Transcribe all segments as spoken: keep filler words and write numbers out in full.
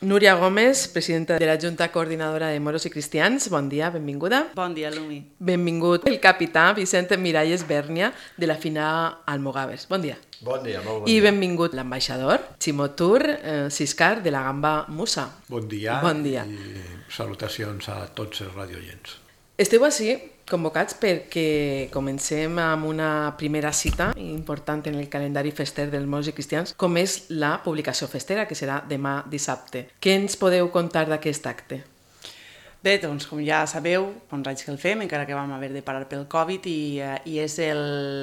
Núria Gómez, presidenta de la Junta Coordinadora de Moros i Cristians, bon dia, benvinguda. Bon dia, Lumi. Benvingut el capità Vicente Miralles Bèrnia, de la FINA Almogàvers. Bon dia. Bon dia, molt bon I dia. benvingut l'ambaixador, Ximo Tur eh, Siscar, de la Gamba Musa. Bon dia, bon dia i salutacions a tots els radioients. Esteu així convocats perquè comencem amb una primera cita important en el calendari fester dels moros i cristians, com és la publicació festera, que serà demà dissabte. Què ens podeu contar d'aquest acte? Bé, doncs, com ja sabeu, fa uns anys que el fem, encara que vam haver de parar pel Covid, i, eh, i és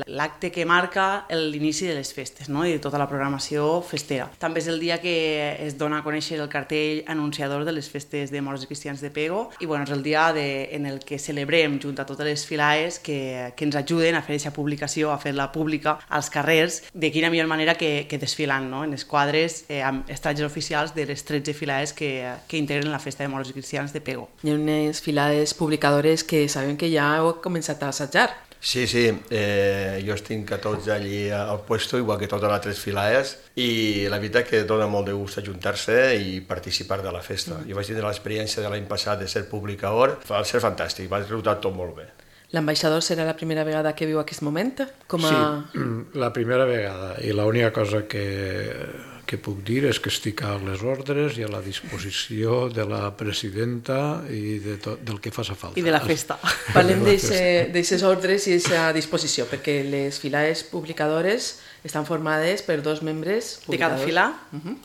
l'acte que marca l'inici de les festes, no? I de tota la programació festera. També és el dia que es dona a conèixer el cartell anunciador de les festes de moros i cristians de Pego, i bueno, és el dia de, en el que celebrem junt a totes les filaes que, que ens ajuden a fer aquesta publicació, a fer-la pública als carrers, de quina millor manera que, que desfilant, no? En els quadres eh, amb estatges oficials de les tretze filaes que, que integren la festa de moros i cristians de Pego. Hi ha unes filades publicadores que sabem que ja heu començat a assajar. Sí, sí, eh, jo estic a tots allí al puesto, igual que totes les altres filaes, i la veritat que dona molt de gust ajuntar-se i participar de la festa. Mm. Jo vaig tenir l'experiència de l'any passat de ser publicador, va ser fantàstic, va resultar tot molt bé. L'ambaixador serà la primera vegada que viu aquest moment? Com a... Sí, la primera vegada, i l'única cosa que... que puc dir és que estic a les ordres i a la disposició de la presidenta i de tot, del que faci falta. I de la festa. Parlem d'aixes ordres i d'aquesta disposició, perquè les filaes publicadores estan formades per dos membres de cada fila. Uh -huh.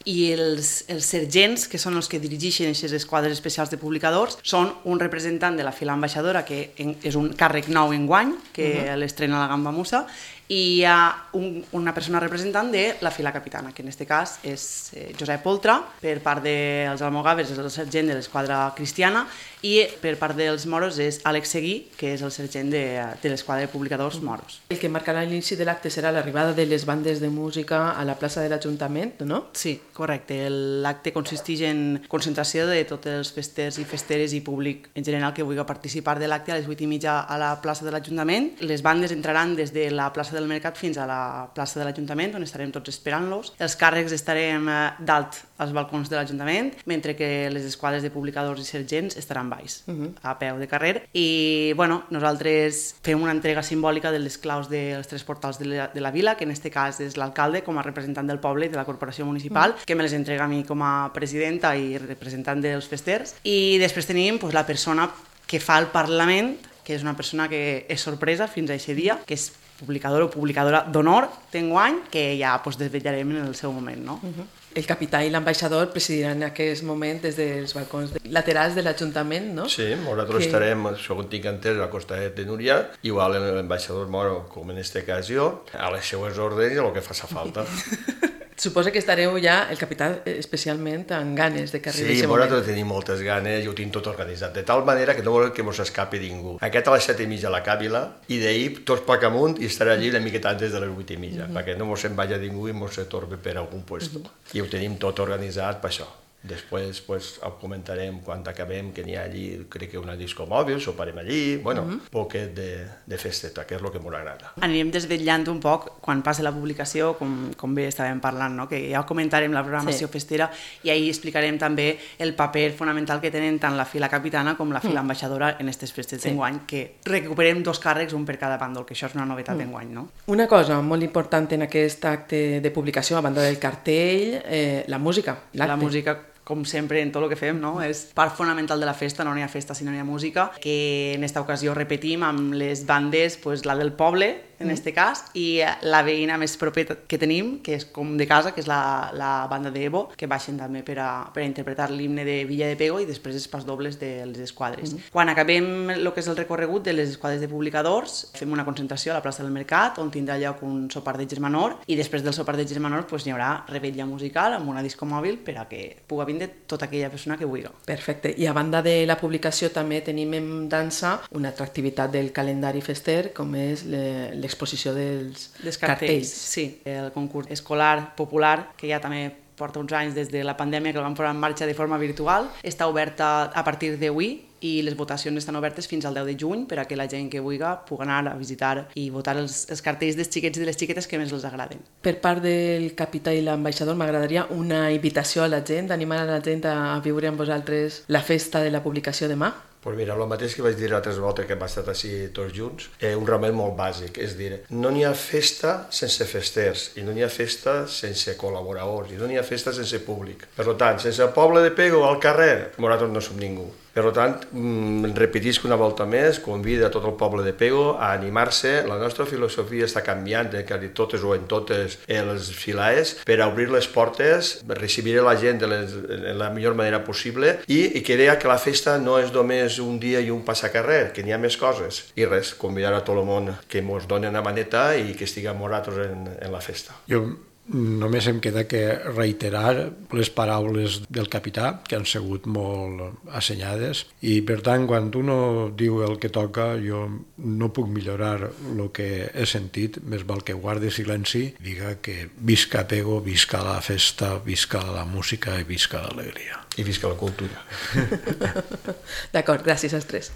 I els, els sergents, que són els que dirigeixen aquestes esquadres especials de publicadors, són un representant de la fila ambaixadora, que és un càrrec nou enguany, que uh -huh. l'estrena la Gamba Musa, i hi ha un, una persona representant de la fila capitana, que en aquest cas és eh, Josep Oltra, per part dels almogàvers és el sergent de l'esquadra cristiana, i per part dels moros és Àlex Seguí, que és el sergent de, de l'esquadra de publicadors moros. El que marcarà l'inici de l'acte serà l'arribada de les bandes de música a la plaça de l'Ajuntament, no? Sí, correcte. L'acte consisteix en concentració de tots els festers i festeres i públic en general que vulgui participar de l'acte a les vuit i mitja a la plaça de l'Ajuntament. Les bandes entraran des de la plaça del Mercat fins a la plaça de l'Ajuntament, on estarem tots esperant-los. Els càrrecs estarem dalt als balcons de l'Ajuntament, mentre que les esquadres de publicadors i sergents estaran baix, uh -huh. a peu de carrer. I bueno, nosaltres fem una entrega simbòlica de les claus dels tres portals de la, de la vila, que en aquest cas és l'alcalde com a representant del poble i de la corporació municipal, uh -huh. que me les entrega a mi com a presidenta i representant dels festers. I després tenim pues, la persona que fa el Parlament, que és una persona que és sorpresa fins a aquest dia, que és publicador o publicadora d'honor d'enguany, que ja pues, desvetllarem en el seu moment, no? Uh -huh. El capità i l'ambaixador presidiran en aquest moment des dels balcons laterals de l'Ajuntament, no? Sí, nosaltres que... estarem, segons tinc entès, al costat de Núria, igual l'ambaixador moro, com en aquesta ocasió, a les seues ordres i el que faci falta. Suposa que estareu ja, el capità especialment, amb ganes de que arribi sí, aquest moment. Sí, nosaltres tenim moltes ganes i ho tinc tot organitzat, de tal manera que no volem que mos escapi ningú. Aquest a les set i mitja a la Càvila i d'ahir tots pac amunt i estarà allí una miqueta antes de les vuit i mitja, uh -huh. perquè no mos se'n vagi ningú i mos se torbi per algun puesto. Uh -huh. I ho tenim tot organitzat per això. Després pues, ho comentarem quan acabem, que n'hi ha allí, crec que una disco mòbil, soparem allí, bueno, un uh -huh. poquet de, de festeta, que és el que m'agrada. Anirem desvetllant un poc quan passi la publicació, com, com bé estàvem parlant, no? Que ja comentarem la programació sí. festera i ahir explicarem també el paper fonamental que tenen tant la fila capitana com la fila mm. ambaixadora en aquestes festes sí. d'enguany, que recuperem dos càrrecs, un per cada bàndol, que això és una novetat mm. d'enguany, no? Una cosa molt important en aquest acte de publicació, a banda del cartell, eh, la música, l'acte. La música, com sempre en tot el que fem, no? És part fonamental de la festa, no n'hi ha festa si no n'hi ha música, que en esta ocasió repetim amb les bandes, pues, la del poble, en aquest cas, i la veïna més propera que tenim, que és com de casa, que és la, la banda d'Evo, que baixen també per a, per a interpretar l'himne de Villa de Pego i després els pas dobles de les esquadres. Mm-hmm. Quan acabem el que és el recorregut de les esquadres de publicadors, fem una concentració a la plaça del Mercat, on tindrà lloc un sopar de Germanor, i després del sopar de Germanor pues, hi haurà revetlla musical amb una disco mòbil per a que pugui vindre tota aquella persona que vulgui. Perfecte. I a banda de la publicació també tenim en dansa una altra activitat del calendari fester, com és l'exposició dels Des cartells. cartells. Sí, el concurs escolar popular, que ja també porta uns anys des de la pandèmia que el vam posar en marxa de forma virtual. Està oberta a partir d'avui i les votacions estan obertes fins al deu de juny per a que la gent que vulgui pugui anar a visitar i votar els, els cartells dels xiquets i de les xiquetes que més els agraden. Per part del capità i l'ambaixador m'agradaria una invitació a la gent, animar a la gent a viure amb vosaltres la festa de la publicació demà. Pues mira, el mateix que vaig dir altres voltes que hem estat així tots junts, eh, un ramet molt bàsic, és dir, no n'hi ha festa sense festers, i no n'hi ha festa sense col·laboradors, i no n'hi ha festa sense públic. Per tant, sense el poble de Pego al carrer, nosaltres no som ningú. Per tant, repetisc una volta més, convida tot el poble de Pego a animar-se. La nostra filosofia està canviant en quasi totes o en totes les filaes per a obrir les portes, recibir la gent de, les, de la millor manera possible i, i que deia que la festa no és només un dia i un passacarrer, que n'hi ha més coses. I res, convidar a tot el món que ens doni una maneta i que estiguem nosaltres en, en la festa. Jo només em queda que reiterar les paraules del capità, que han sigut molt assenyades, i per tant, quan uno diu el que toca, jo no puc millorar el que he sentit, més val que guardi silenci, diga que visca Pego, visca la festa, visca la música i visca l'alegria. I visca la cultura. D'acord, gràcies als tres.